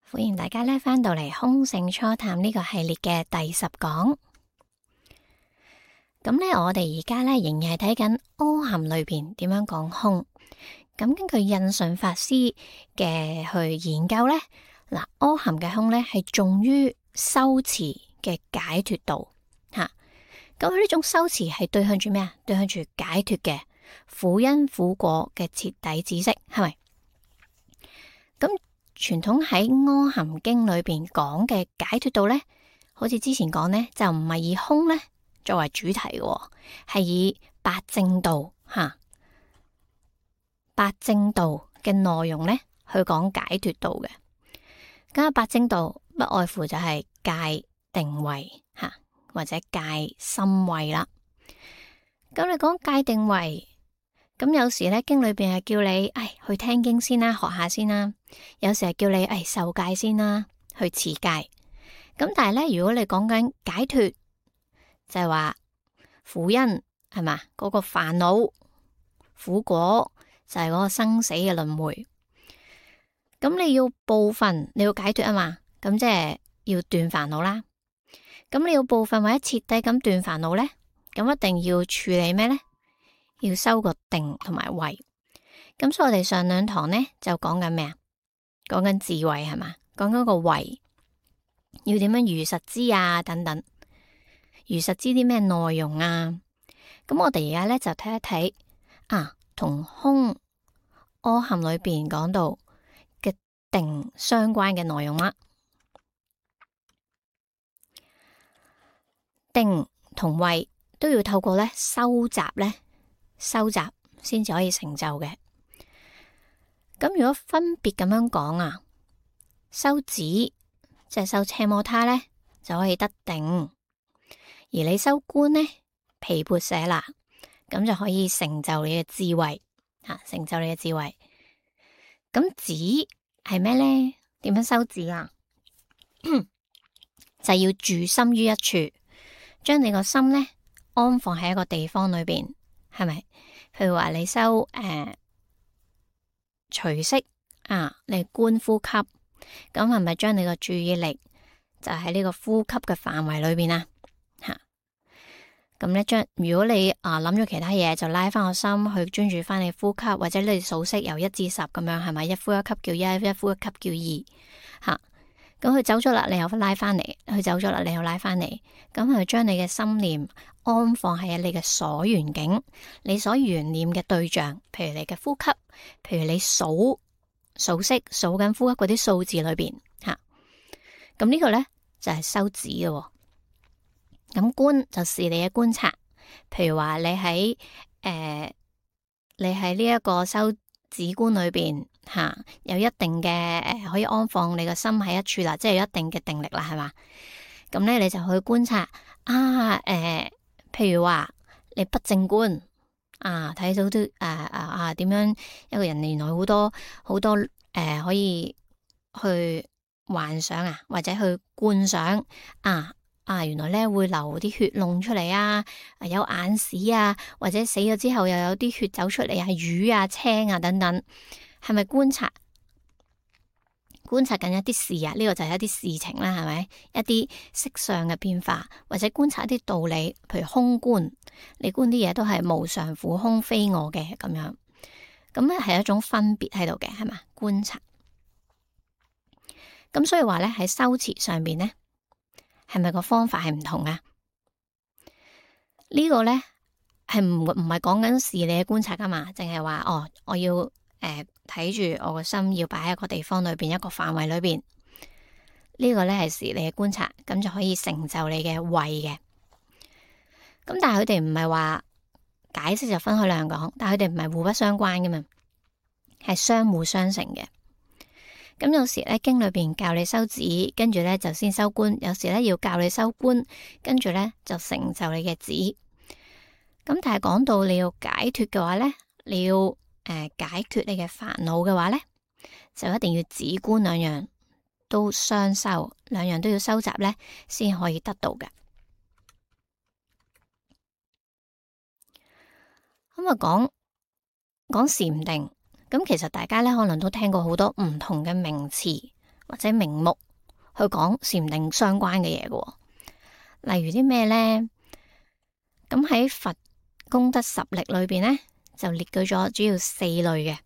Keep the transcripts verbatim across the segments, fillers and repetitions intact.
歡迎大家咧翻到嚟空性初探呢個系列嘅第十講。咁咧，我哋而家咧仍然係睇緊阿含裏邊點樣講空。咁根據印順法師嘅去研究咧，嗱，阿含嘅空咧係重於修持嘅解脫道吓。咁佢呢種修持係對向住咩啊？對向住解脫嘅苦因苦果嘅徹底知識，係咪？咁傳統喺阿含經裏邊講嘅解脫道咧，好似之前講咧，就唔係以空咧作為主題嘅，係以八正道吓，八正道嘅內容咧去講解脫道嘅。咁啊，八正道不外乎就係戒定慧吓，或者戒心慧啦。咁你講戒定慧。咁有時咧，經裏邊係叫你，誒，去聽經先啦，學下先啦。有時係叫你，誒，受戒先啦，去持戒。咁但係咧，如果你講緊解脫，就係話苦因係嘛，嗰個煩惱苦果就係嗰個生死嘅輪迴。咁你要部分你要解脫啊嘛，咁即係要斷煩惱啦。咁你要部分或者徹底咁斷煩惱咧，咁一定要處理咩咧？要修個定同埋慧，咁所以我哋上兩堂呢就講緊咩啊？講緊智慧係嘛？講緊個慧，要點樣如實知啊？等等，如實知啲咩內容啊？咁我哋而家呢就睇一睇啊，同空阿含裏邊講到嘅定相關嘅內容啦。定同慧都要透過呢收集呢。收集先至可以成就嘅。咁如果分別咁樣講啊，修止即係修奢摩他咧，就可以得定；而你修觀呢，毗缽舍那，咁就可以成就你嘅智慧吓，成就你嘅智慧。咁止係咩咧？點樣修止啊？就係要住心於一處，將你個心咧安放喺一個地方裏邊。係咪？譬如話你修誒隨息啊，你觀呼吸，咁係咪將你個注意力就喺呢個呼吸嘅範圍裏邊啊？吓，咁咧將如果你啊諗咗其他嘢，就拉翻個心去專注翻你呼吸，或者你數息由一至十咁樣，係咪？一呼一吸叫一，一呼一吸叫二，吓。咁佢走咗啦，你又拉翻嚟；佢走咗啦，你又拉翻嚟。咁佢將你嘅心念安放喺你嘅所緣境，你所緣念嘅對象，譬如你嘅呼吸，譬如你數數息數緊呼吸嗰啲數字裏邊吓。咁呢個咧就係修止嘅。咁觀就是你嘅觀察，譬如話你喺誒、呃，你喺呢一個修止觀裏邊。吓、啊，有一定嘅誒、呃，可以安放你個心喺一處啦，即係有一定嘅定力啦，係嘛？咁咧，你就去觀察啊，誒、呃，譬如話你不正觀啊，睇到啲誒誒啊，點、啊、樣一個人原來好多好多誒、呃，可以去幻想啊，或者去觀想啊啊，原來咧會流啲血膿出嚟啊，有眼屎啊，或者死咗之後又有啲血走出嚟，係魚啊、青啊等等。係咪觀察？觀察緊一啲事啊？呢、這個就係一啲事情啦，係咪？一啲色相嘅變化，或者觀察一啲道理，譬如空觀，你觀啲嘢都係無常、苦、空、非我嘅咁樣。咁咧係一種分別喺度嘅，係嘛？觀察。咁所以話咧喺修持上邊咧，係咪個方法係唔同啊？呢、這個咧係唔唔係講緊事理嘅觀察噶嘛？淨係話哦，我要。誒，睇住我個心要擺喺一個地方裏邊，一個範圍裏邊，呢個咧係事理嘅觀察，咁就可以成就你嘅慧嘅。咁但係佢哋唔係話解釋就分開兩講，但係佢哋唔係互不相關噶嘛，係相互相成嘅。咁有時咧經裏邊教你修止，跟住咧就先修觀；有時咧要教你修觀，跟住咧就成就你嘅止。咁但係講到你要解脫嘅話咧，你要。誒、呃，解決你嘅煩惱嘅話咧，就一定要止觀兩樣都雙修，兩樣都要收集咧，先可以得到嘅。咁啊，講講禪定，咁其實大家咧可能都聽過好多唔同嘅名詞或者名目去講禪定相關嘅嘢嘅。例如啲咩呢？咁喺佛功德十力裏邊呢，就列舉咗主要四類嘅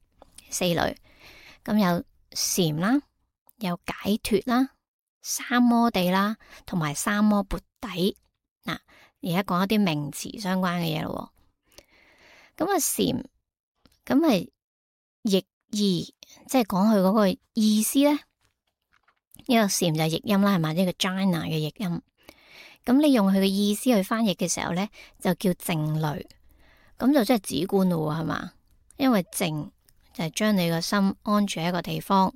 四類。咁有禪啦，有解脫啦，三摩地啦，同埋三摩缽底。嗱，而家講一啲名詞相關嘅嘢咯。咁啊禪，咁係譯意，即係講佢嗰個意思咧。呢個禪就係譯音啦，係嘛？呢個 jhana 嘅譯音。咁你用佢嘅意思去翻譯嘅時候咧，就叫靜慮。咁就即係止觀咯，係嘛？因為靜就係將你個心安住喺一個地方，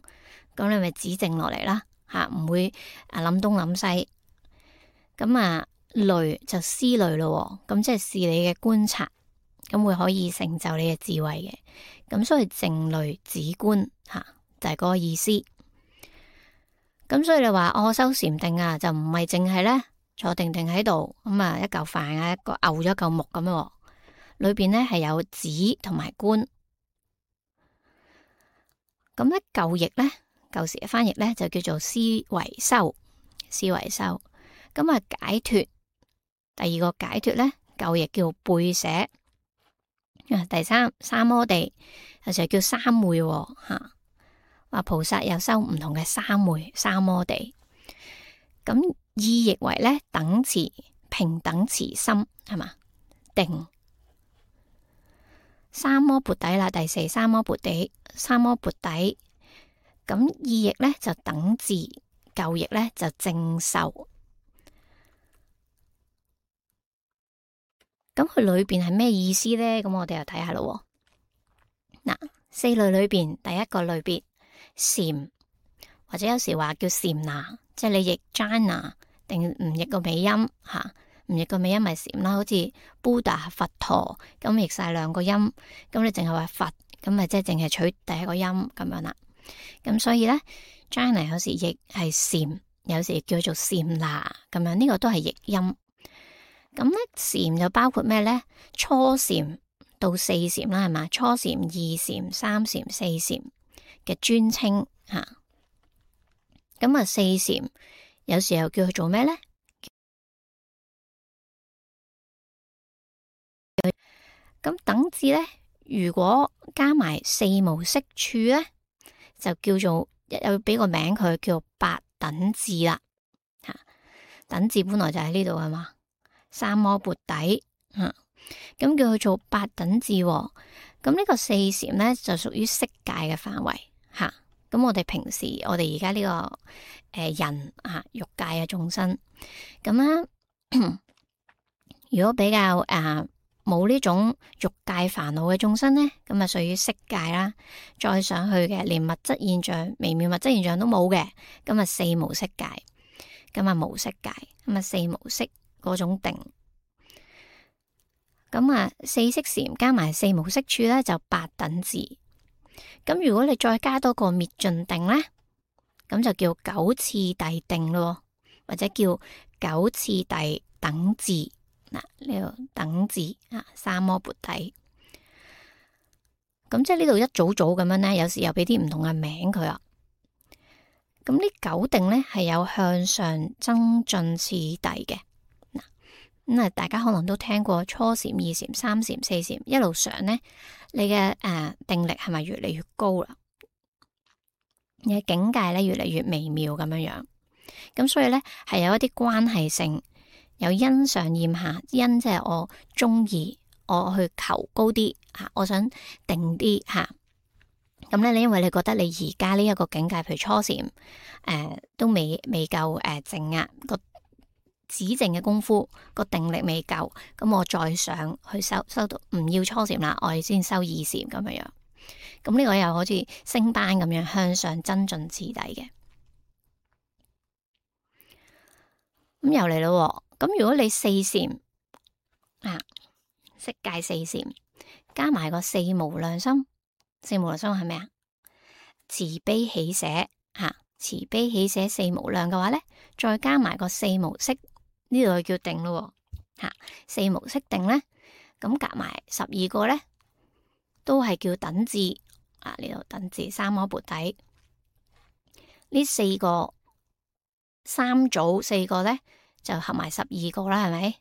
咁你咪止靜落嚟啦，吓，唔會啊諗東諗西。咁啊慮就思慮咯，咁即係視你嘅觀察，咁會可以成就你嘅智慧嘅。咁所以靜慮止觀吓就係嗰個意思。咁所以你話我修禪定啊，就唔係淨係咧坐定定喺度，咁啊一嚿飯啊一個漚咗一嚿木咁樣，裏邊咧係有止同埋觀。咁咧舊譯咧舊時嘅翻譯咧就叫做思維修，思維修。咁啊解脫，第二個解脫咧舊譯叫背捨。啊第三三摩地有時叫三昧吓。話菩薩有修唔同嘅三昧、三摩地，咁意譯為咧等持、平等持心，係嘛？定三摩缽底啦，第四三摩缽底，三摩缽底，咁意譯咧就等至，舊譯咧就正受。咁佢裏邊係咩意思咧？咁我哋又睇下咯。嗱，四類裏邊第一個類別。禪或者有時話叫禪那，即係你譯 jhana 定唔譯個尾音吓，唔譯個尾音咪禪啦。好似 Buddha 佛陀咁譯晒兩個音，咁你淨係話佛，咁咪即係淨係取第一個音咁樣啦。咁所以咧 jhana 有時譯係禪，有時叫做禪那咁樣，呢個都係譯音。咁咧禪就包括咩咧？初禪到四禪啦，係嘛？初禪、二禪、三禪、四禪嘅尊稱吓，咁啊四禪有時候叫佢做咩咧？咁等至咧，如果加埋四無色處咧，就叫做又俾個名佢叫八等至啦吓。等至本來就喺呢度係嘛，三摩缽底吓，咁叫佢做八等至。咁呢個四禪咧就屬於色界嘅範圍。吓，咁我哋平時我哋而家呢個誒、呃、人啊，欲界嘅眾生，咁啊，如果比較誒冇呢種欲界煩惱嘅眾生咧，咁啊屬於色界啦。再上去嘅，連物質現象、微妙物質現象都冇嘅，咁啊四無色界，咁啊無色界，咁啊四無色嗰種定，咁啊四色禪加埋四無色處咧，就八等至。咁如果你再加多個滅盡定咧，咁就叫九次第定咯，或者叫九次第等至。嗱，呢個等至啊，三摩缽底。咁即係呢度一組組咁樣咧，有時又俾啲唔同嘅名佢啊。咁呢九定咧係有向上增進次第嘅。嗱，咁啊，大家可能都聽過初禪、二禪、三禪、四禪，一路上咧。你嘅誒、呃、定力係咪越嚟越高啦？你嘅境界咧越嚟越微妙咁樣樣，咁所以咧係有一啲關係性，有因上厭下，因即係我中意，我去求高啲吓，我想定啲吓。咁咧你因為你覺得你而家呢一個境界，譬如初禪誒、呃、都未未夠誒靜壓個止靜嘅功夫，個定力未夠，咁我再上去修修到唔要初禪啦，我哋先修二禪咁樣樣。咁呢個又好似升班咁樣向上增進次第嘅。咁又嚟咯，咁如果你四禪啊，色界四禪加埋個四無量心，四無量心係咩啊？慈悲喜捨吓，慈悲喜捨四無量嘅話咧，再加埋個四無色。呢度叫定咯，吓四無色定咧，咁夾埋十二個咧，都係叫等至啊。呢度等至三摩缽底，呢四個三組四個咧就合埋十二個啦，係咪？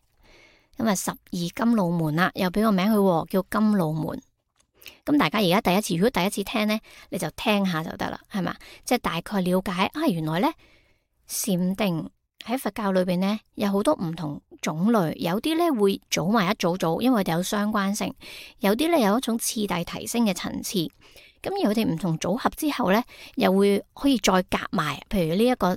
咁啊十二金露門啦，又俾個名佢叫金露門。咁大家而家第一次，如果第一次聽咧，你就聽下就得啦，係嘛？即係大概了解啊，原來咧禪定喺佛教裏邊咧有好多唔同種類，有啲咧會組埋一組組，因為佢哋有相關性；有啲咧有一種次第提升嘅層次。咁而佢哋唔同組合之後咧，又會可以再夾埋，譬如呢、這、一個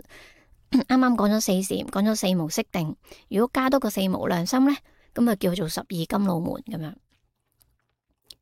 啱啱講咗四禪，講咗四無色定，如果加多個四無量心咧，咁啊叫做十二金露門咁樣。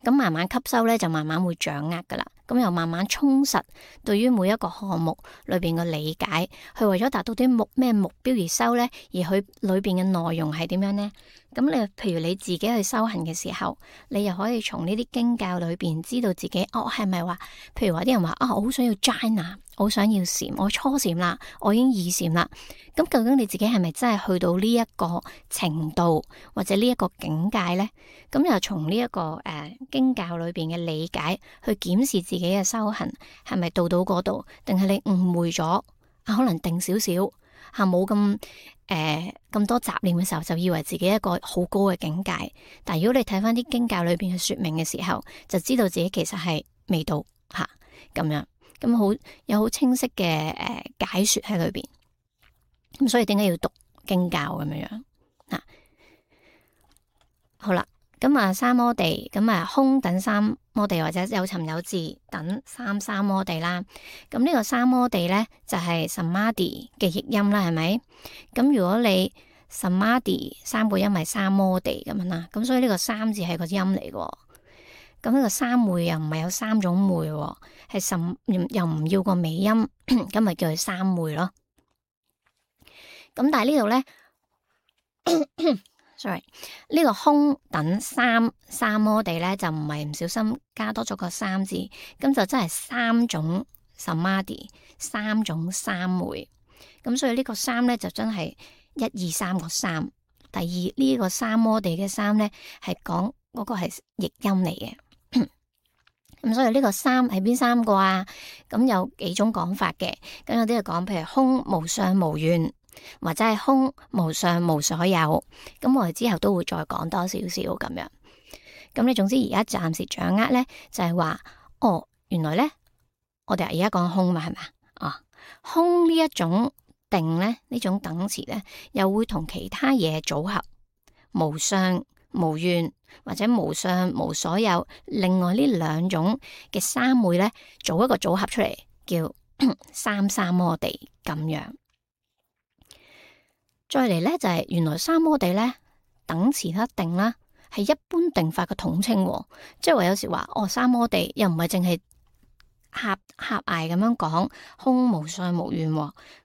咁慢慢吸收咧，就慢慢會掌握噶啦。咁又慢慢充實對於每一個項目裏邊嘅理解，去為咗達到啲目咩目標而修咧，而佢裏邊嘅內容係點樣呢？咁你譬如你自己去修行嘅時候，你又可以從呢啲經教裏邊知道自己哦係咪話，譬如話啲人話啊，我好想要齋拿，我想要禪，我初禪啦，我已經二禪啦。咁究竟你自己係咪真係去到呢一個程度或者呢一個境界呢？咁又從呢一個誒、呃、經教裏邊嘅理解去檢視自己嘅修行係咪到到嗰度，定係你誤會咗啊？可能定少少吓，冇咁誒咁多雜念嘅時候，就以為自己一個好高嘅境界。但係如果你睇翻啲經教裏邊嘅說明嘅時候，就知道自己其實係未到吓咁樣，咁好有好清晰嘅誒、呃、解說喺裏邊。咁所以點解要讀經教咁樣樣嗱？好啦，咁啊三摩地，咁啊空等三摩地或者有尋有伺等三三摩地啦。咁呢個三摩地咧就係 samadhi 嘅譯音啦，係咪？咁如果你 samadhi 三個音係三摩地咁樣啦，咁所以呢個三字係個音嚟嘅。咁呢個三昧又唔係有三種昧，係甚又唔要個尾音，咁咪叫佢三昧咯。咁但係呢度咧，sorry，呢個空等三三摩地咧就唔係唔小心加多咗個三字，咁就真係三種 samadhi，三種三昧。咁所以呢個三咧就真係一二三個三。第二呢個三摩地嘅三咧係講嗰個係譯音嚟嘅。咁所以呢個三係邊三個啊？咁有幾種講法嘅。咁有啲係講譬如空無相無願，或者係空無相無所有，咁我哋之後都會再講多少少咁樣。咁你總之而家暫時掌握咧，就係話哦，原來咧我哋而家講空嘛，係咪啊？哦，空呢一種定咧，呢種等詞咧，又會同其他嘢組合，無相無願或者無相無所有，另外呢兩種嘅三昧咧，做一個組合出嚟，叫三三摩地咁樣。再嚟咧就係、是、原來三摩地咧等詞一定啦，係一般定法嘅統稱，即係話有時話哦三摩地又唔係淨係狹狹隘咁樣講空無相無願，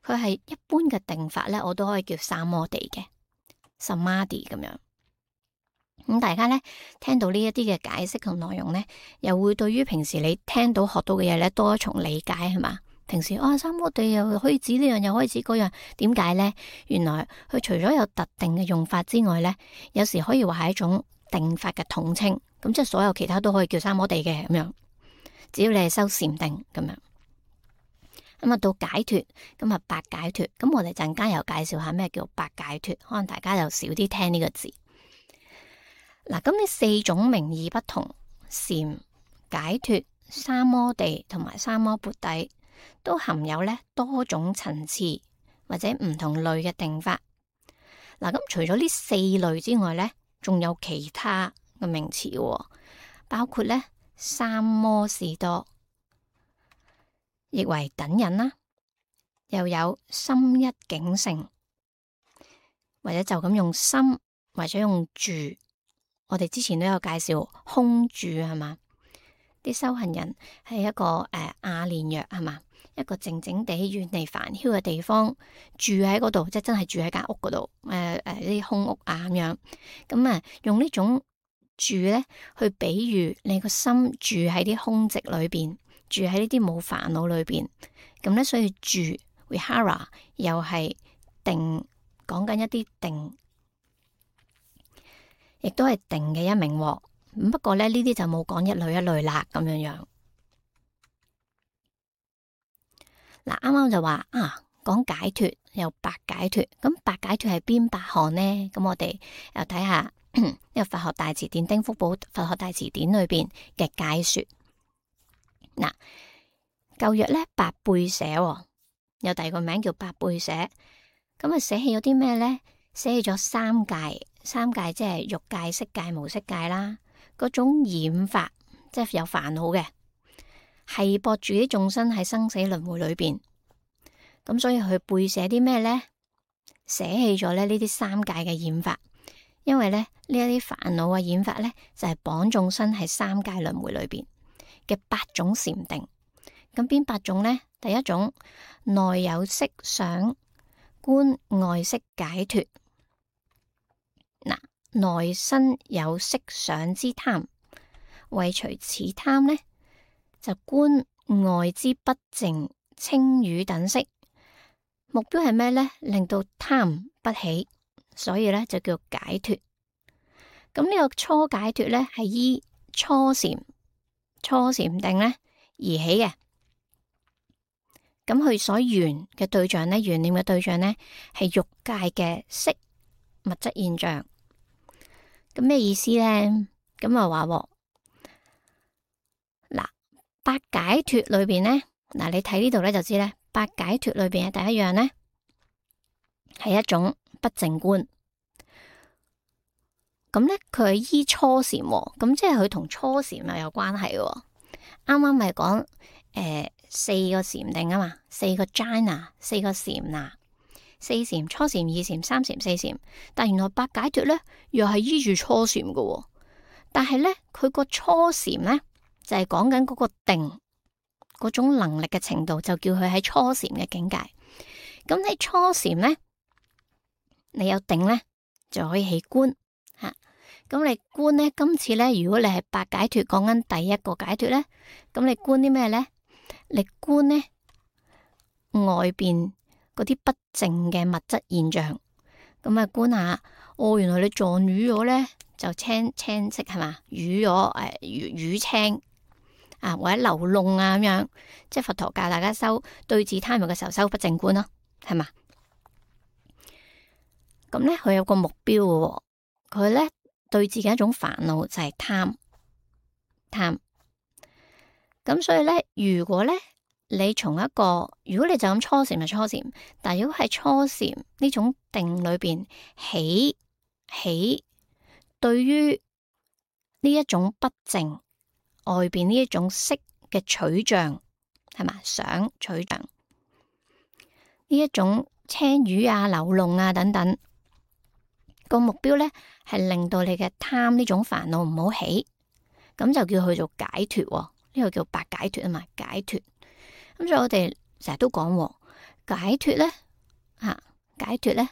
佢係一般嘅定法咧，我都可以叫三摩地嘅 samadhi 咁樣。咁大家咧聽到呢一啲嘅解釋同內容咧，又會對於平時你聽到學到嘅嘢咧多一重理解，係嘛？平時啊、哦、三摩地又可以指呢樣，又可以指嗰樣，點解咧？原來佢除咗有特定嘅用法之外咧，有時可以話係一種定法嘅統稱。咁即係所有其他都可以叫三摩地嘅咁樣，只要你係修禪定咁樣。咁啊到解脫，咁啊八解脫，咁我哋陣間又介紹下咩叫八解脫，可能大家又少啲聽呢個字。嗱，咁呢四種名義不同，禪、解脫、三摩地同埋三摩缽底，都含有咧多種層次或者唔同類嘅定法。嗱，咁除咗呢四類之外咧，仲有其他嘅名詞，包括咧三摩士多，亦為等忍啦，又有心一境性，或者就咁用心或者用住。我哋之前都有介紹空住係嘛，啲修行人係一個誒阿練若係嘛，一個靜靜地遠離煩囂嘅地方住喺嗰度，即係真係住喺間屋嗰度，誒誒啲空屋啊咁樣，咁啊用呢種住咧去比喻你個心住喺啲空寂裏邊，住喺呢啲冇煩惱裏邊，咁咧所以住 vihara 又係定，講緊一啲定。亦都係定嘅一名，不過咧呢啲就冇講一類一類啦咁樣樣。嗱，啱啱就話啊，講解脫有八解脫，咁八解脫係邊八項呢？咁我哋又睇下呢個佛學大辭典丁福寶佛學大辭典裏邊嘅解說。嗱，舊約咧八貝捨，有第二個名叫八貝捨，咁啊捨棄咗啲咩咧？捨棄咗三界，三界即係欲界、色界、無色界啦。嗰種染法，即係有煩惱嘅，係駁住啲眾生喺生死輪迴裏邊。咁所以佢貝捨啲咩咧？捨棄咗咧呢啲三界嘅染法，因為咧呢一啲煩惱嘅染法咧就係綁眾生喺三界輪迴裏邊嘅八種禪定。咁邊八種咧？第一種內有色想觀外色解脫。嗱，內身有色想之貪，為除此貪呢，就觀外之不淨清雨等色。目標係咩呢？令到貪不起，所以咧就叫解脫。咁呢個初解脫咧係依初禪初禪定咧而起嘅。咁佢所緣嘅對象咧，緣念嘅對象咧係欲界嘅色物質現象。咁咩意思咧？咁啊話嗱，八解脫裏邊咧，嗱你睇呢度咧就知咧，八解脫裏邊嘅第一樣咧係一種不淨觀。咁咧佢係依初禪，咁即係佢同初禪又有關係。啱啱咪講誒四個禪定啊嘛，四個 jhana， 四個禪那。四禪、初禪、二禪、三禪、四禪，但原來八解脫咧又係依住初禪嘅，但係咧佢個初禪咧就係講緊嗰個定嗰種能力嘅程度，就叫佢喺初禪嘅境界。咁喺初禪咧，你有定咧就可以起觀吓。咁你觀咧，今次咧如果你係八解脫講緊第一個解脫咧，咁你觀啲咩咧？你觀咧外邊嗰啲不淨嘅物質現象，咁啊觀下，哦，原來你撞瘀咗咧，就青青色係嘛，瘀咗誒瘀青啊，或者流膿啊咁樣，即係佛陀教大家修對治貪欲嘅時候修不淨觀咯，係嘛？咁咧佢有個目標嘅，佢咧對治嘅一種煩惱就係貪貪，咁所以咧如果咧。你從一個，如果你就咁初禪就初禪，但係如果係初禪呢種定裏邊起起，對於呢一種不淨外邊呢一種色嘅取像係嘛，想取像呢一種青瘀啊、流膿啊等等，個目標咧係令到你嘅貪呢種煩惱唔好起，咁就叫佢做解脫，呢、這個叫八解脫啊嘛，解脫。咁所以我哋成日都講解脫咧，吓解脫咧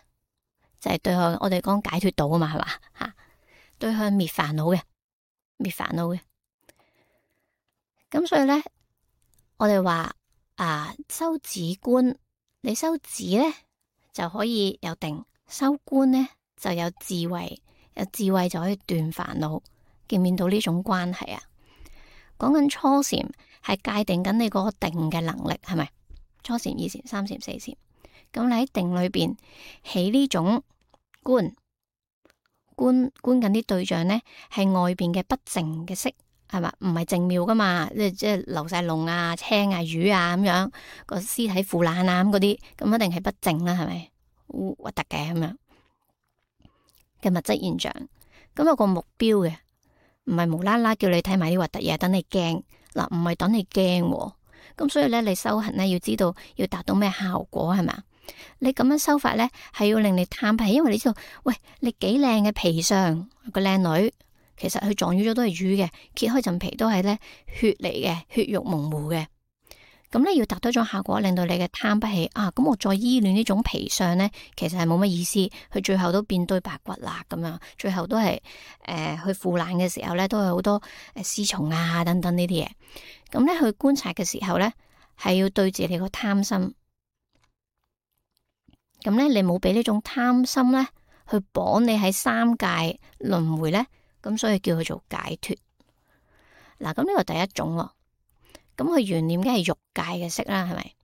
就係、是、對向我哋講解脫道啊嘛，係嘛吓，對向滅煩惱嘅，滅煩惱嘅。咁所以咧，我哋話啊，修止觀，你修止咧就可以有定，修觀咧就有智慧，有智慧就可以斷煩惱，見唔見到呢種關係啊？講緊初禪係界定緊你嗰個定嘅能力，係咪？初禪、二禪、三禪、四禪，咁你喺定裏邊起呢種觀，觀觀緊啲對象咧，係外邊嘅不淨嘅色，係嘛？唔係淨妙噶嘛，即係即係流晒膿啊、青啊、瘀啊咁樣，個屍體腐爛啊咁嗰啲，咁一定係不淨啦，係咪？核突嘅咁樣嘅物質現象，咁有個目標嘅。唔係無啦啦叫你睇埋啲核突嘢，等你驚嗱，唔係等你驚，咁所以咧，你修行咧要知道要達到咩效果係咪？你咁樣修法咧，係要令你貪不起，因為你知道，喂，你幾靚嘅皮相個靚女，其實佢撞瘀咗都係瘀嘅，揭開陣皮都係咧血嚟嘅，血肉模糊嘅。咁咧要達到一種效果，令到你嘅貪不起啊！咁我再依戀呢種皮相咧，其實係冇乜意思，佢最後都變堆白骨啦，咁樣最後都係誒去腐爛嘅時候咧，都有好多誒屍蟲啊等等呢啲嘢。咁咧去觀察嘅時候咧，係要對治你個貪心。咁咧你冇俾呢種貪心咧去綁你喺三界輪迴咧，咁所以叫佢做解脫。嗱，咁呢個第一種喎。咁佢緣念梗係欲界嘅色啦，係咪？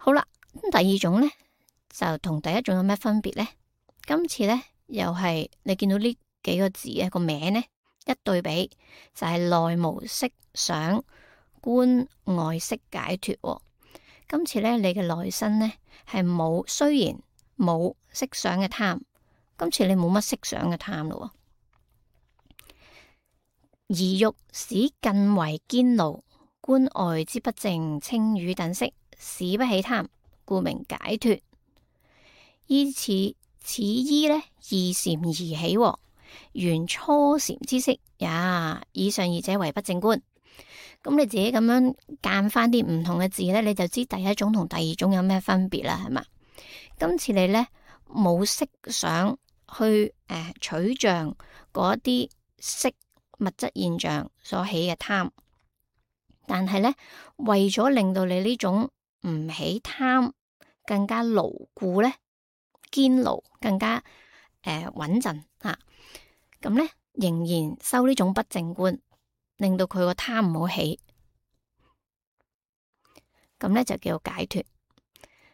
好啦，咁第二種咧就同第一種有咩分別咧？今次咧又係你見到呢幾個字嘅個名咧一對比，就係、是、內無色想，觀外色解脫、哦。今次咧你嘅內心咧係冇，雖然冇色想嘅貪，今次你冇乜色想嘅貪咯。而欲使更為堅牢，觀外之不淨青瘀等色，使不起貪，故名解脫。依此此依呢二禪而起、哦，原初禪之色也。以上二者為不淨觀。咁你自己咁樣揀翻啲唔同嘅字呢，你就知第一種同第二種有咩分別啦，係嘛？今次你呢冇色想去誒、呃、取像嗰啲色物質現象所起嘅貪，但係呢，為咗令到你呢種唔起貪更加牢固呢，堅牢更加誒穩陣吓，咁呢，仍然修呢種不淨觀，令到佢個貪唔好起，咁呢就叫解脫。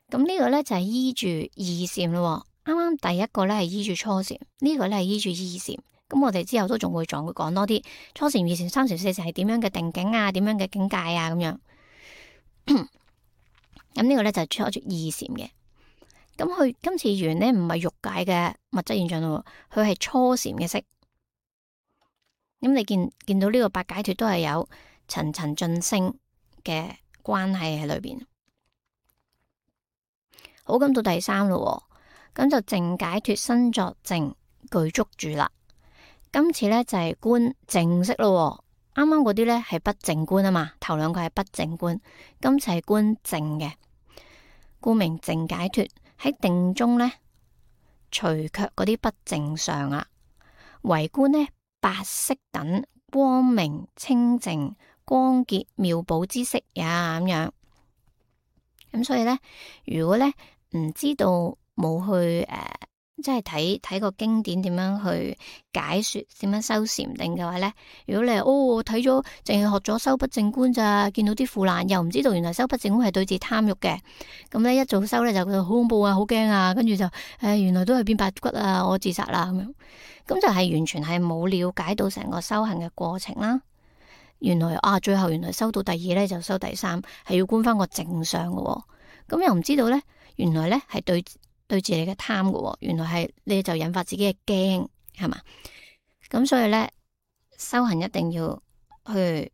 咁呢個呢，就係、是、依住二禪咯。啱啱第一個呢係依住初禪，呢、這個呢係依住二禪。咁我哋之後都仲會仲會講多啲初禪、二禪、三禪、四禪係點樣嘅定境啊，點樣嘅境界啊，咁樣。咁呢個呢，就係初住二禪嘅。咁佢今次緣呢，唔係欲界嘅物質現象咯，佢係初禪嘅色。咁你見見到呢個八解脫都係有層層晉升嘅關係喺裏邊。好，咁到第三咯，咁就淨解脫身作淨具足住啦。今次咧就係觀淨色咯。啱啱嗰啲咧係不淨觀啊嘛，頭兩個係不淨觀，今次係觀淨嘅，故名淨解脫。喺定中咧，除卻嗰啲不淨相啊，唯觀呢八色等光明清淨光潔妙寶之色呀，咁樣。咁所以咧，如果咧唔知道冇去誒。呃即係睇睇個經典點樣去解說，點樣修禪定嘅話呢？如果你係哦睇咗淨係學咗修不淨觀咋，見到啲腐爛，又唔知道原來修不淨觀係對治貪欲嘅，咁呢一早修呢，就覺得好恐怖啊，好驚啊，跟住就誒、哎、原來都係變白骨啊，我自殺啦咁樣，咁就係完全係冇了解到成個修行嘅過程啦。原來啊，最後原來修到第二呢，就修第三，係要觀翻個正相嘅，咁又唔知道呢，原來呢係對。對住你嘅貪嘅，原來係你就引發自己嘅驚，係嘛？咁所以咧，修行一定要去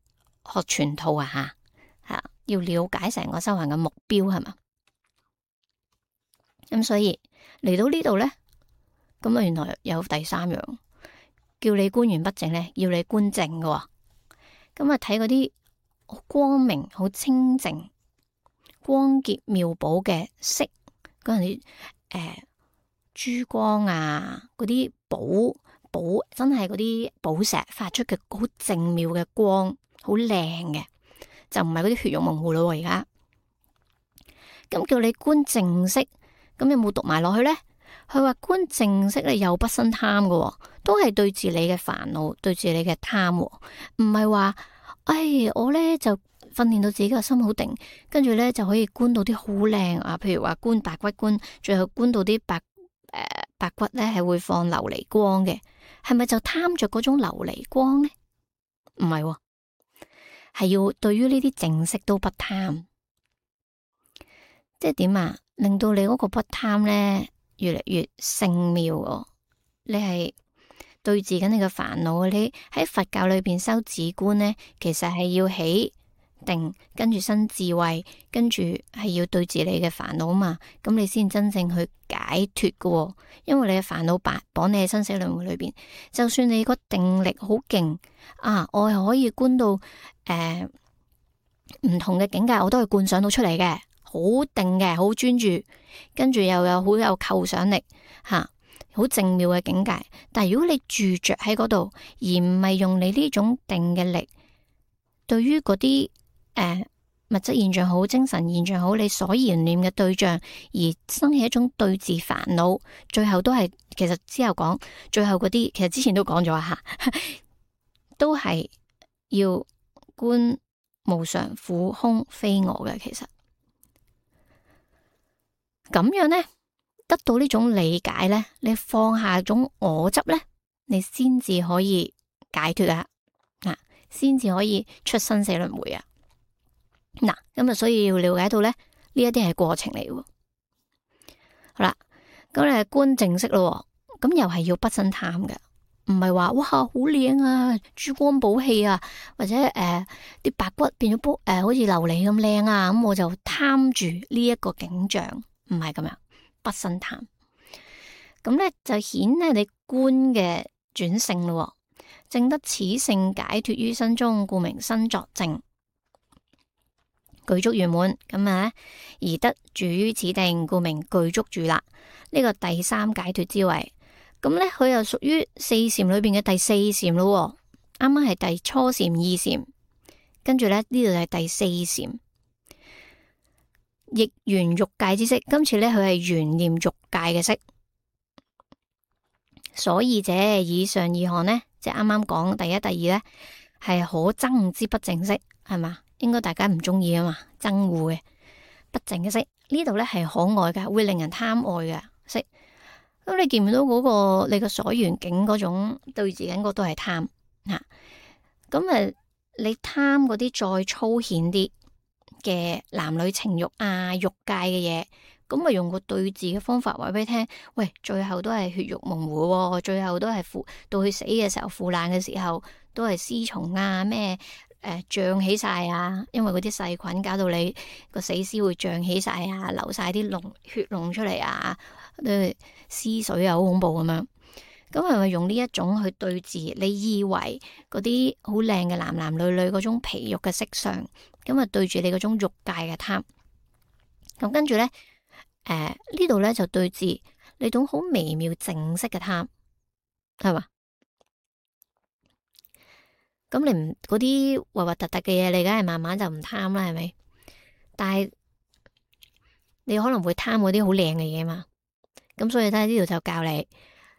學全套啊吓吓，要了解成個修行嘅目標，係嘛？咁所以嚟到呢度咧，咁啊原來有第三樣，叫你觀完不淨咧，要你觀淨嘅，咁啊睇嗰啲光明、好清淨、光潔妙寶嘅色嗰陣啲。誒、呃，珠光啊，嗰啲寶寶真係嗰啲寶石發出嘅好靜妙嘅光，好靚嘅，就唔係嗰啲血肉模糊咯。而家咁叫你觀淨色，咁有冇讀埋落去呢？佢話觀淨色咧，又不生貪嘅，都係對治你嘅煩惱，對治你嘅貪，唔係話，哎，我咧就。訓練到自己個心好定，跟住咧就可以觀到啲好靚啊！譬如話觀白骨觀，最後觀到啲白誒、呃、白骨咧係會放琉璃光嘅，係咪就貪着嗰種琉璃光呢？唔係、哦，係要對於呢啲淨色都不貪，即係點啊？令到你嗰個不貪咧越嚟越聖妙哦！你係對治緊你嘅煩惱，你喺佛教裏邊修止觀咧，其實係要起。定跟住生智慧，跟住係要對治你嘅煩惱嘛，咁你先真正去解脫嘅、哦。因為你嘅煩惱綁綁你喺生死輪迴裏邊，就算你個定力好勁啊，我又可以觀到誒唔、呃、同嘅境界，我都係觀想到出嚟嘅，好定嘅，好專注，跟住又有好有構想力吓，好、啊、正妙嘅境界。但係如果你住着喺嗰度，而唔係用你呢種定嘅力，對於嗰啲。誒、呃，物質現象好，精神現象好，你所言念嘅對象而生起一種對治煩惱，最後都係其實之後講，最後嗰啲其實之前都講咗吓，都係要觀無常、苦、空、非我嘅。其實咁樣咧，得到呢種理解咧，你放下種我執咧，你先至可以解脫啊，嗱，先至可以出生死輪迴啊。嗱，咁啊，所以要了解到咧，呢一啲係過程嚟嘅。好啦，咁你係觀淨色咯，咁又係要不生貪嘅，唔係話哇好靚啊，珠光寶氣啊，或者誒啲、呃、白骨變咗煲誒，好似琉璃咁靚啊，咁我就貪住呢一個景象，唔係咁樣，不生貪。咁咧就顯咧你觀嘅轉性咯，證得此性解脫於身中，故名身作證。具足圓滿咁啊，而得住於此定，故名具足住啦。呢、這個第三解脫之位，咁咧佢又屬於四禪裏邊嘅第四禪咯。啱啱係第初禪、二禪，跟住咧呢度係第四禪，亦緣欲界之色。今次咧佢係緣念欲界嘅色。所以者以上二項呢，即係啱啱講第一、第二咧，係可憎之不淨色，係嘛？應該大家唔中意啊嘛，憎惡嘅不淨嘅色，呢度咧係可愛嘅，會令人貪愛嘅色。咁你見唔到嗰、那個你個所緣境嗰種對治緊嗰都係貪吓。咁啊，你貪嗰啲再粗顯啲嘅男女情欲啊、欲界嘅嘢，咁咪用個對治嘅方法話俾你聽，喂，最後都係血肉模糊、哦，最後都係腐，到佢死嘅時候腐爛嘅時候都係屍蟲啊咩？誒，脹起晒啊！因為嗰啲細菌搞到你個死屍會脹起晒啊，流晒啲膿血膿出嚟啊，誒，屍水啊，好恐怖咁樣。咁係咪用呢一種去對治？你以為嗰啲好靚嘅男男女女嗰種皮肉嘅色相，咁啊對住你嗰種欲界嘅貪。咁跟住咧，誒、呃、呢度咧就對治你種好微妙淨色嘅貪，係嘛？咁你唔嗰啲核核突突嘅嘢，你梗係慢慢就唔貪啦，係咪？但係你可能會貪嗰啲好靚嘅嘢嘛。咁所以咧呢度就教你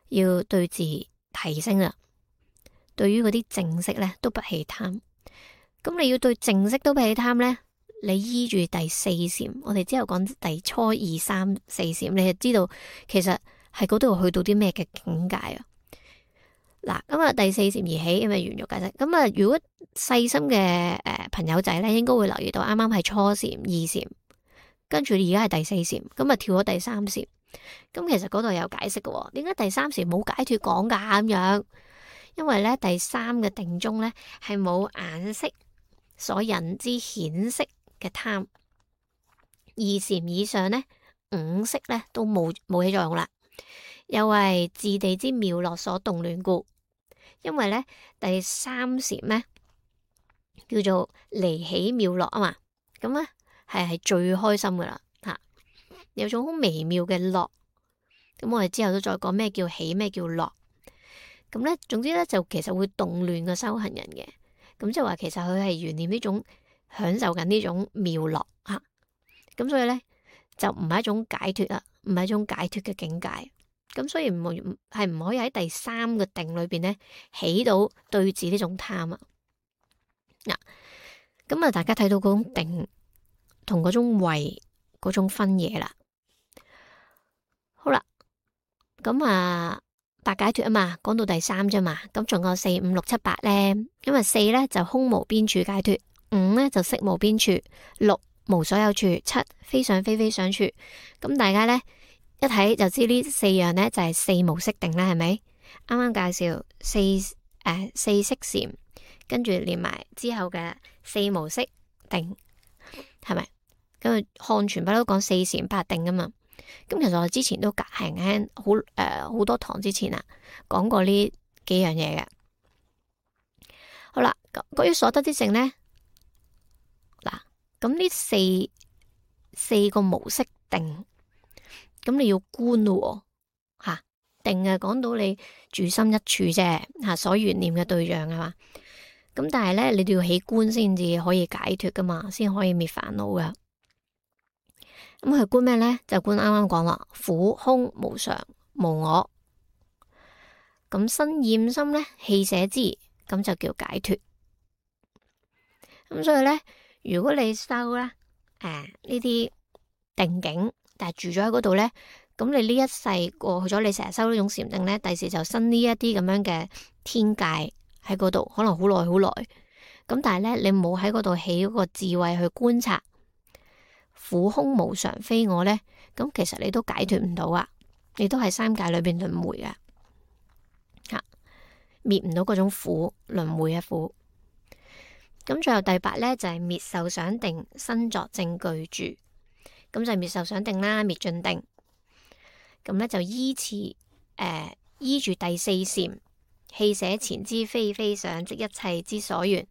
要對治提升啦。對於嗰啲淨色咧都不起貪。咁你要對淨色都不起貪咧，你依住第四禪，我哋之後講第初二三四禪，你就知道其實係嗰度去到啲咩嘅境界啊。嗱，咁啊第四禪而起，因為緣欲界色。咁啊，如果細心嘅誒朋友仔咧，應該會留意到，啱啱係初禪、二禪，跟住而家係第四禪，咁啊跳咗第三禪。咁其實嗰度有解釋嘅，點解第三禪冇解脫講噶咁樣？因為咧第三嘅定中咧係冇眼色所引之顯色嘅貪，二禪以上咧五色咧都冇冇起作用啦，又為自地之妙樂所動亂故。因為咧第三禪咧叫做離喜妙樂啊嘛，咁咧係係最開心噶啦吓，有種好微妙嘅樂。咁我哋之後都再講咩叫喜，咩叫樂。咁咧總之咧就其實會動亂個修行人嘅，咁即係話其實佢係懸念呢種享受緊呢種妙樂吓，咁所以咧就唔係一種解脫啦，唔係一種解脫嘅境界。咁所以唔係唔可以喺第三個定裏邊咧起到對治呢種貪啊。嗱，咁啊大家睇到嗰種定同嗰種慧嗰種分野啦。好啦，咁啊八解脫啊嘛，講到第三啫嘛，咁仲有四五六七八咧。咁啊四咧就空無邊處解脫，五咧就色無邊處，六無所有處，七非想非非想處。咁大家咧一睇就知呢四樣咧就係四無色定啦，係咪？啱啱介紹四誒、呃、四色禪，跟住連埋之後嘅四無色定，係咪？咁啊漢傳不嬲講四禪八定噶嘛。咁其實我之前都隔行輕好誒好多堂之前啊講過呢幾樣嘢嘅。好啦，關於所得之性咧，嗱咁呢四四個無色定。咁你要觀咯，吓、啊、定係講到你住心一處啫，吓、啊、所緣念嘅對象係嘛？咁但係咧，你都要起觀先至可以解脫噶嘛，先可以滅煩惱噶。咁佢觀咩咧？就觀啱啱講啦，苦空無常無我。咁身厭心咧，棄捨之，咁就叫解脫。咁所以咧，如果你修咧，誒呢啲定境。但係住咗喺嗰度咧，咁你呢一世過去咗，你成日修呢種禪定咧，第時就生呢一啲咁樣嘅天界喺嗰度，可能好耐好耐。咁但係咧，你冇喺嗰度起嗰個智慧去觀察苦空無常非我咧，咁其實你都解脫唔到啊，你都喺三界裏邊輪迴啊，吓滅唔到嗰種苦輪迴嘅苦。咁最後第八咧就係、是、滅受想定，身作正具住。咁就係滅受想定啦，滅盡定。咁咧就依次誒、呃、依住第四禪，棄捨前知非非想，即一切之所緣，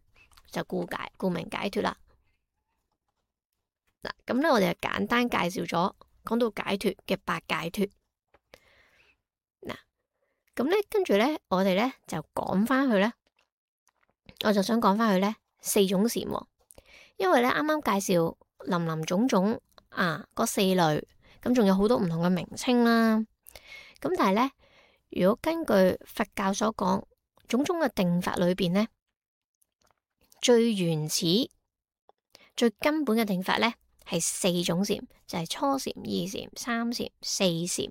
就故解故名解脫啦。嗱，咁咧我哋就簡單介紹咗講到解脫嘅八解脫。嗱，咁咧跟住咧我哋咧就講翻去咧，我就想講翻去咧四種禪，因為咧啱啱介紹林林總總啊嗰四類，咁仲有好多唔同嘅名稱啦。咁但係咧，如果根據佛教所講種種嘅定法裏邊咧，最原始、最根本嘅定法咧係四種禪，就係、是、初禪、二禪、三禪、四禪。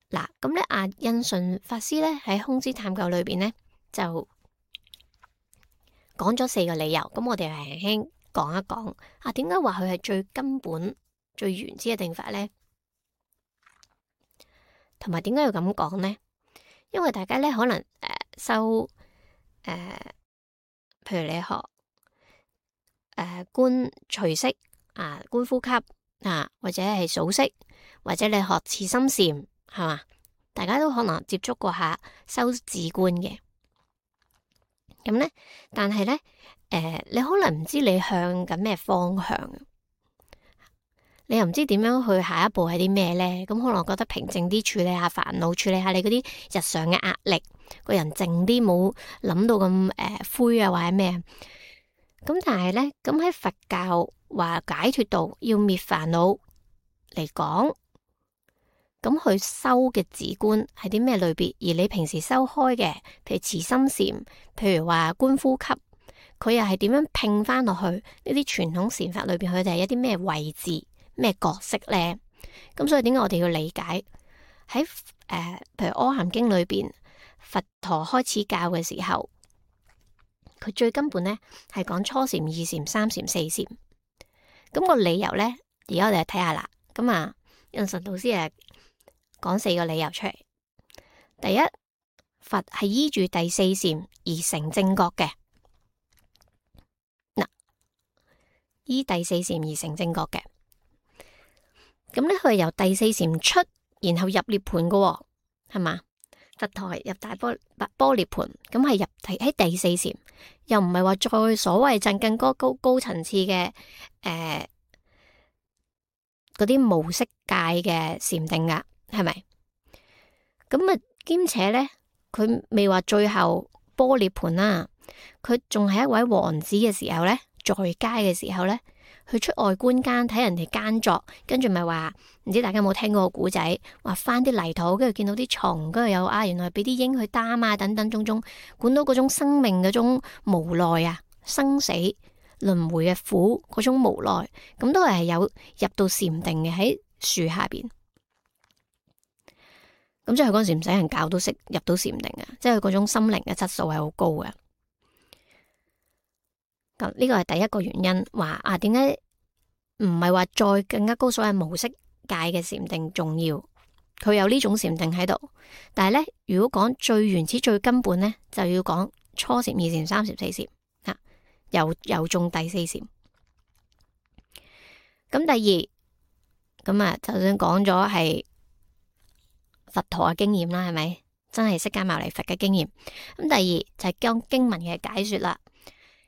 嗱，咁咧阿印順法師咧喺空之探究裏邊咧就講咗四個理由，咁我哋輕輕講一講啊，點解話佢係最根本、最原始嘅定法咧？同埋點解要咁講咧？因為大家咧可能誒、呃、修誒。呃譬如你學誒、呃、觀隨息啊，觀呼吸啊，或者係數息，或者你學慈心禪，係嘛？大家都可能接觸過下修止觀嘅。咁咧，但係咧誒，你可能唔知你向緊咩方向，你又唔知點樣去下一步係啲咩咧？咁可能覺得平靜啲，處理下煩惱，處理下你嗰啲日常嘅壓力。個人靜啲，冇諗到咁誒、呃、灰啊，或者咩？咁但係咧，咁喺佛教話解脫道要滅煩惱嚟講，咁佢修嘅止觀係啲咩類別？而你平時修開嘅，譬如慈心禪，譬如話觀呼吸，佢又係點樣拼翻落去呢啲傳統禪法裏邊？佢哋係一啲咩位置、咩角色咧？咁所以點解我哋要理解喺誒、呃，譬如《阿含經》裏邊？佛陀開始教嘅時候，佢最根本咧係講初禪、二禪、三禪、四禪。咁個理由咧，而家我哋嚟睇下啦。咁啊，印順導師誒講四個理由出嚟。第一，佛係依住第四禪而成正覺嘅。嗱，依第四禪而成正覺嘅。咁咧，佢係由第四禪出，然後入涅盤嘅，係嘛？佛陀入大波波涅盤，咁係入喺第四禪，又唔係話再所謂進更高高高層次嘅誒嗰啲無色界嘅禪定噶，係咪？咁啊，兼且咧，佢未話最後波涅盤啦，佢仲係一位王子嘅時候咧，在家嘅時候咧。去出外觀間睇人哋耕作，跟住咪話唔知大家有冇聽過個古仔，話翻啲泥土，跟住見到啲蟲，跟住有啊，原來俾啲鷹去擔啊，等等種種，管到嗰種生命嗰種無奈啊，生死輪迴嘅苦嗰種無奈，咁都係有入到禪定嘅喺樹下邊。咁即係嗰陣時唔使人教都識入到禪定啊，即係佢嗰種心靈嘅質素係好高嘅。咁呢個係第一個原因，話啊點解唔係話再更加高所謂無色界嘅禪定重要？佢有呢種禪定喺度，但係咧，如果講最原始、最根本咧，就要講初禪、二禪、三禪、四禪吓，又又中第四禪。咁第二，咁啊，就算講咗係佛陀嘅經驗啦，係咪真係釋迦牟尼佛嘅經驗？咁第二就係將經文嘅解說啦。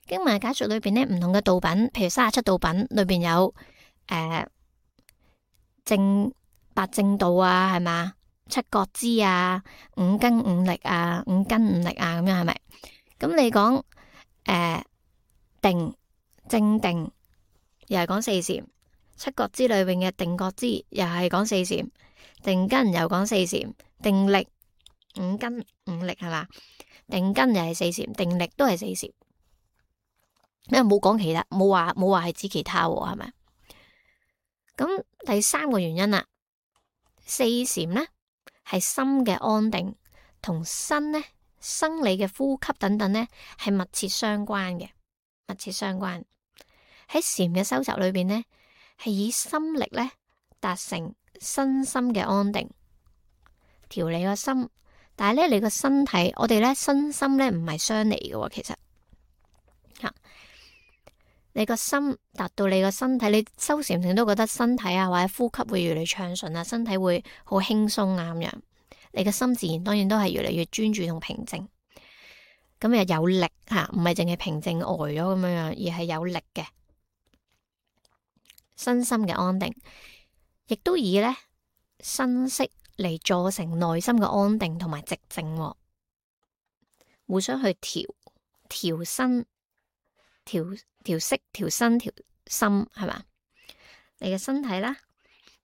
經文解說裏邊咧，唔同嘅道品，譬如三十七道品裏邊有誒、呃、正八正道啊，係嘛，七覺支啊，五根五力啊，五根五力啊，咁樣係咪？咁你講誒、呃、定正定，又係講四禪；七覺支裏邊嘅定覺支，又係講四禪；定根又講四禪；定力五根五力係嘛？定根又係四禪，定力都係四禪。因為冇講其他，冇話冇話係指其他，係咪？咁第三個原因啦，四禪咧係心嘅安定同身咧生理嘅呼吸等等咧係密切相關嘅，密切相關。喺禪嘅修習裏邊咧，係以心力咧達成身心嘅安定，調理個心。但係咧，你個身體，我哋咧身心咧唔係相離嘅，其實吓。你個心達到你個身體，你修禪定都覺得身體啊或者呼吸會越嚟越暢順啊，身體會好輕鬆啊咁樣。你個心自然當然都係越嚟越專注同平靜，咁又有力吓，唔係淨係平靜呆咗咁樣樣，而係有力嘅身心嘅安定，亦都以咧身息嚟助成內心嘅安定同埋寂靜，互相去調調身。調調息、調身、調心，係嘛？你嘅身體啦，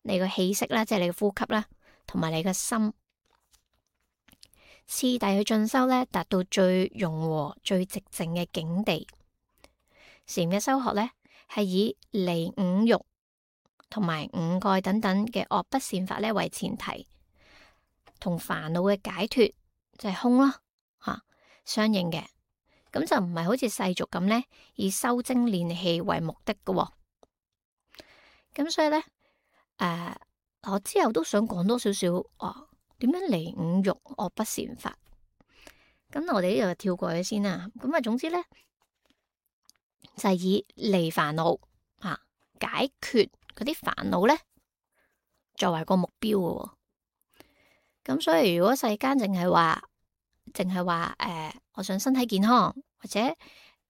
你個氣息啦，即係你嘅呼吸啦，同埋你嘅心，次第去進修咧，達到最融和、最寂靜嘅境地。禪嘅修學咧，係以離五欲同埋五蓋等等嘅惡不善法咧為前提，同煩惱嘅解脫就係空咯，吓相應嘅。咁就唔係好似世俗咁咧，以修精練氣為目的嘅喎。咁所以咧，誒、呃，我之後都想講多少少哦，點樣離五欲惡不善法？咁我哋呢度就跳過去先啦。咁啊，總之咧就係、是、以離煩惱啊，解決嗰啲煩惱咧作為個目標嘅喎。咁所以如果世間淨係話，淨係話誒，我想身體健康，或者誒、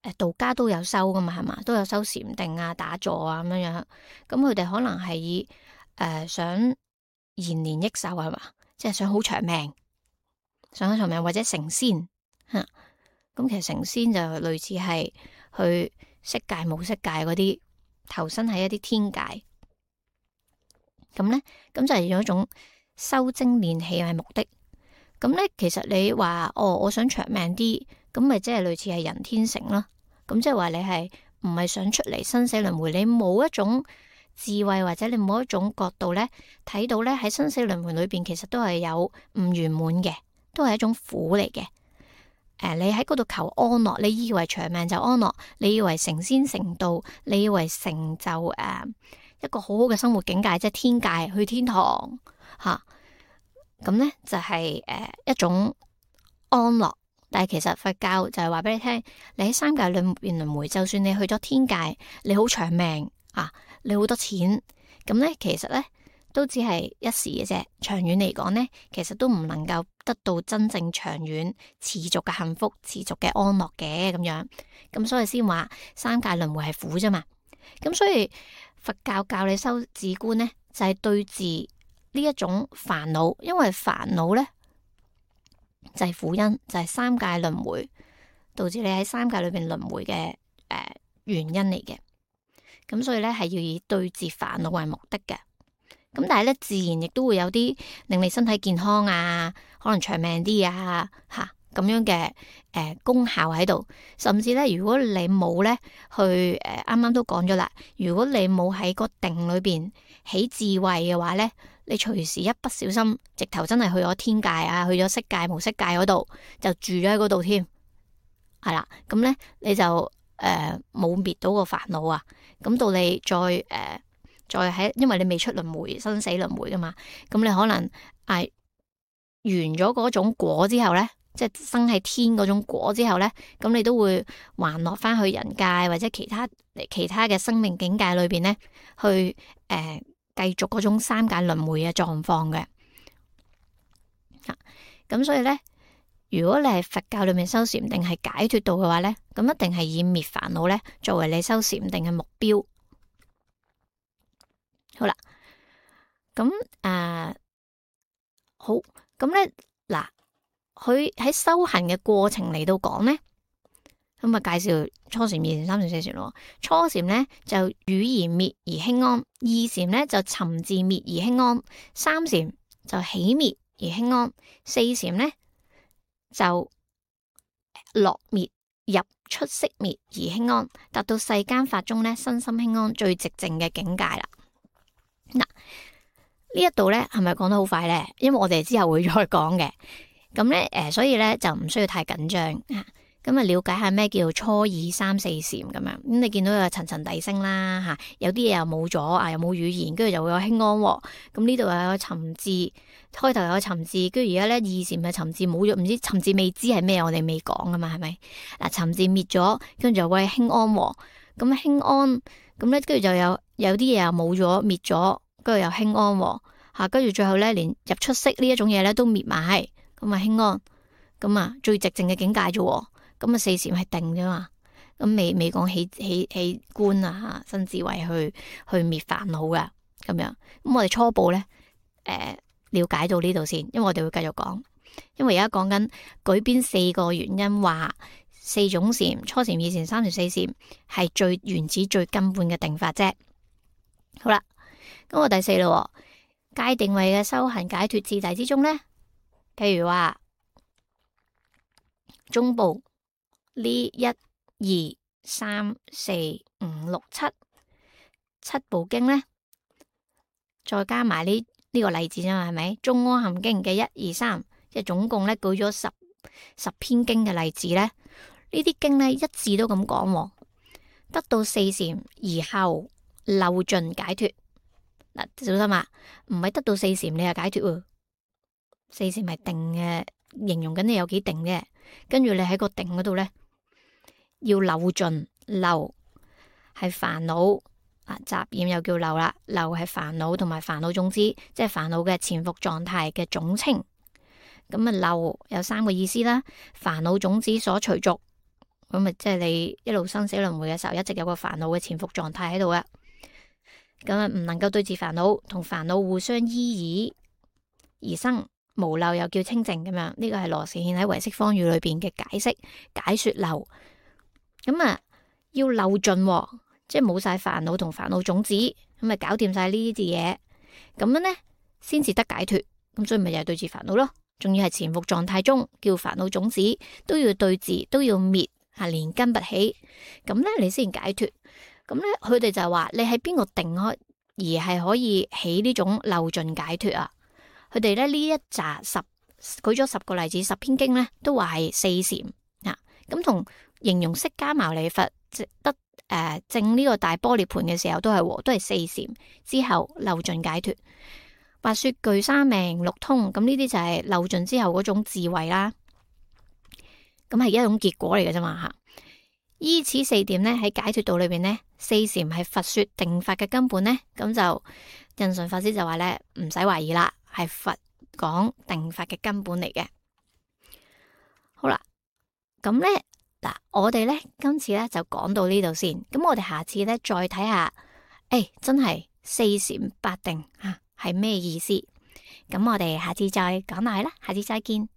呃、道家都有修噶嘛，係嘛，都有修禪定啊、打坐啊咁樣樣。咁佢哋可能係以誒、呃、想延年益壽係嘛，即係想好長命，想好長命或者成仙吓。咁、嗯、其實成仙就類似係去色界、無色界嗰啲投身喺一啲天界。咁咧，咁就係用一種修精練氣為目的。咁咧，其實你話哦，我想長命啲，咁咪即係類似係人天成咯。咁即係話你係唔係想出嚟生死輪迴？你冇一種智慧或者你冇一種角度咧，睇到咧喺生死輪迴裏邊，其實都係有唔圓滿嘅，都係一種苦嚟嘅。誒、呃，你喺嗰度求安樂，你以為長命就安樂，你以為成仙成道，你以為成就誒、呃、一個好好嘅生活境界，即係天界去天堂吓。咁咧就係、是、誒、呃、一種安樂，但係其實佛教就係話俾你聽，你喺三界裏邊輪迴，就算你去咗天界，你好長命啊，你好多錢，咁咧其實咧都只係一時嘅啫。長遠嚟講咧，其實都唔能夠得到真正長遠持續嘅幸福、持續嘅安樂嘅咁樣。咁所以先話三界輪迴係苦啫嘛。咁所以佛教教你修止觀咧，就係、是、對治呢一種煩惱，因為煩惱咧就係、是、苦因，就係、是、三界輪迴導致你喺三界裏邊輪迴嘅誒原因嚟嘅。咁所以咧係要以對治煩惱為目的嘅。咁但係咧自然亦都會有啲令你身體健康啊，可能長命啲啊吓咁樣嘅誒、呃、功效喺度。甚至咧如果你冇咧去誒啱啱都講咗啦，如果你冇喺個定裏邊起智慧嘅話咧，你隨時一不小心，直頭真係去咗天界啊，去咗色界、無色界嗰度，就住咗喺嗰度添，係啦。咁咧你就誒冇滅到個煩惱啊。咁到你再誒、呃、再喺，因為你未出輪迴、生死輪迴噶嘛，咁你可能啊完咗嗰種果之後咧，即係生喺天嗰種果之後咧，咁你都會還落翻去人界或者其他其他嘅生命境界裏邊咧，去誒。呃繼續嗰種三界輪迴嘅狀況嘅，咁、啊、所以咧，如果你係佛教裏面修禪定係解脫道嘅話咧，咁一定係以滅煩惱咧作為你修禪定嘅目標。好啦，咁誒、呃、好，咁咧嗱，佢喺修行嘅過程嚟到講咧。咁啊，介紹初禪、二禪、三禪、四禪咯。初禪咧就語而滅而輕安，二禪咧就尋自滅而輕安，三禪就起滅而輕安，四禪咧就落滅入出息滅而輕安，達到世間法中咧身心輕安最寂靜嘅境界啦。嗱，呢一度咧係咪講得好快咧？因為我哋之後會再講嘅。咁咧誒，所以咧就唔需要太緊張啊。咁啊，了解下咩叫初二三四禪咁樣。咁你見到有層層遞升啦嚇，有啲嘢又冇咗啊，又冇語言，跟住就會有輕安喎。咁呢度又有沉字，開頭有沉字，跟住而家咧二禪嘅沉字冇咗，唔知沉字未知係咩，我哋未講噶嘛，係咪？嗱，沉字滅咗，跟住就會輕安喎。咁輕安，咁咧跟住就有有啲嘢又冇咗，滅咗，跟住又輕安喎嚇，跟住最後咧連入出息呢一種嘢咧都滅埋，咁啊輕安，咁啊最寂靜嘅境界啫喎。咁啊，四禪係定啫嘛，咁未未講起起起觀啊，新智慧去去滅煩惱噶咁樣。咁我哋初步咧，誒、呃、了解到呢度先，因為我哋會繼續講。因為而家講緊舉邊四個原因，話四種禪，初禪、二禪、三禪、四禪係最原始、最根本嘅定法啫。好啦，咁我第四咯，戒定慧嘅修行解脫次第之中咧，譬如話中部。呢一二三四五六七七部經咧，再加埋呢呢個例子啫嘛，係咪？中阿含經嘅一二三，即係總共咧舉咗十十篇經嘅例子咧。呢啲經咧一字都咁講，得到四禪而後漏盡解脫。嗱，小心啊，唔係得到四禪你係解脫喎，四禪係定嘅，形容緊你有幾定嘅。跟住你喺個定嗰度咧。要漏盡，漏係煩惱啊，雜染又叫漏啦。漏係煩惱同埋煩惱種子，即係煩惱嘅潛伏狀態嘅總稱。咁啊，漏有三個意思啦。煩惱種子所隨逐，咁啊，即係你一路生死輪迴嘅時候，一直有個煩惱嘅潛伏狀態喺度嘅。咁啊，唔能夠對治煩惱，同煩惱互相依議而生無漏，又叫清淨咁樣。呢個係羅士憲喺唯識方語裏邊嘅解釋解說漏。咁啊，要漏盡，即係冇晒煩惱同煩惱種子，咁啊搞掂晒呢啲嘢，咁樣咧先至得解脫。咁所以咪又係對治煩惱咯，仲要係潛伏狀態中叫煩惱種子都要對治，都要滅，係連根拔起，咁咧你先解脫。咁咧佢哋就係話你喺邊個定開而係可以起呢種漏盡解脫啊？佢哋咧呢一紮十舉咗十個例子，十篇經咧都話係四禪啊，咁同。形容釋迦牟尼佛得誒證呢個大般涅槃嘅時候都係都係四禪之後漏盡解脫。話說具三命六通，咁呢啲就係漏盡之後嗰種智慧啦。咁係一種結果嚟嘅啫嘛吓。依此四點咧喺解脫道裏邊咧，四禪係佛說定法嘅根本咧。咁就印順法師就話咧唔使懷疑啦，係佛講定法嘅根本嚟嘅。好啦，咁咧。嗱，我哋咧今次咧就講到呢度先，咁我哋下次咧再睇下，誒、哎，真係四禪八定啊，係咩意思？咁我哋下次再講落去啦，下次再見。